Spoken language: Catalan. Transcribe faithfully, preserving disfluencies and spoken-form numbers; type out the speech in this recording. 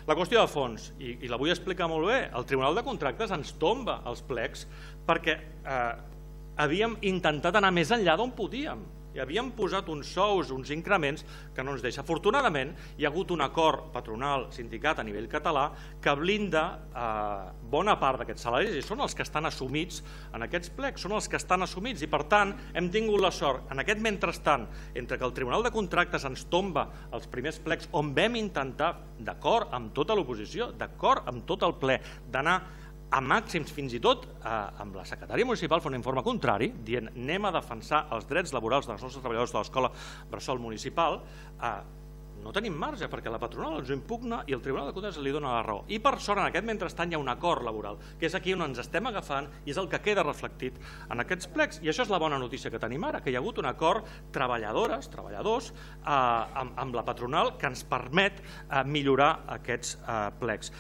La qüestió de fons, i la vull explicar molt bé, el Tribunal de Contractes ens tomba els plecs perquè havíem intentat anar més enllà d'on podíem. I havíem posat uns sous, uns increments que no ens deixa. Afortunadament, hi ha hagut un acord patronal-sindicat a nivell català que blinda bona part d'aquests salaris i són els que estan assumits en aquests plecs, són els que estan assumits i per tant hem tingut la sort, en aquest mentrestant, entre que el Tribunal de Contractes ens tomba els primers plecs on vam intentar, d'acord amb tota l'oposició, d'acord amb tot el ple, d'anar a màxims, fins i tot amb la secretària municipal fa un informe contrari, dient anem a defensar els drets laborals dels nostres treballadors de l'escola bressol municipal, no tenim marge perquè la patronal ens ho impugna i el Tribunal de Comptes li dona la raó. I per sort, en aquest mentrestant hi ha un acord laboral, que és aquí on ens estem agafant i és el que queda reflectit en aquests plecs. I això és la bona notícia que tenim ara, que hi ha hagut un acord treballadores, treballadors, amb la patronal que ens permet millorar aquests plecs.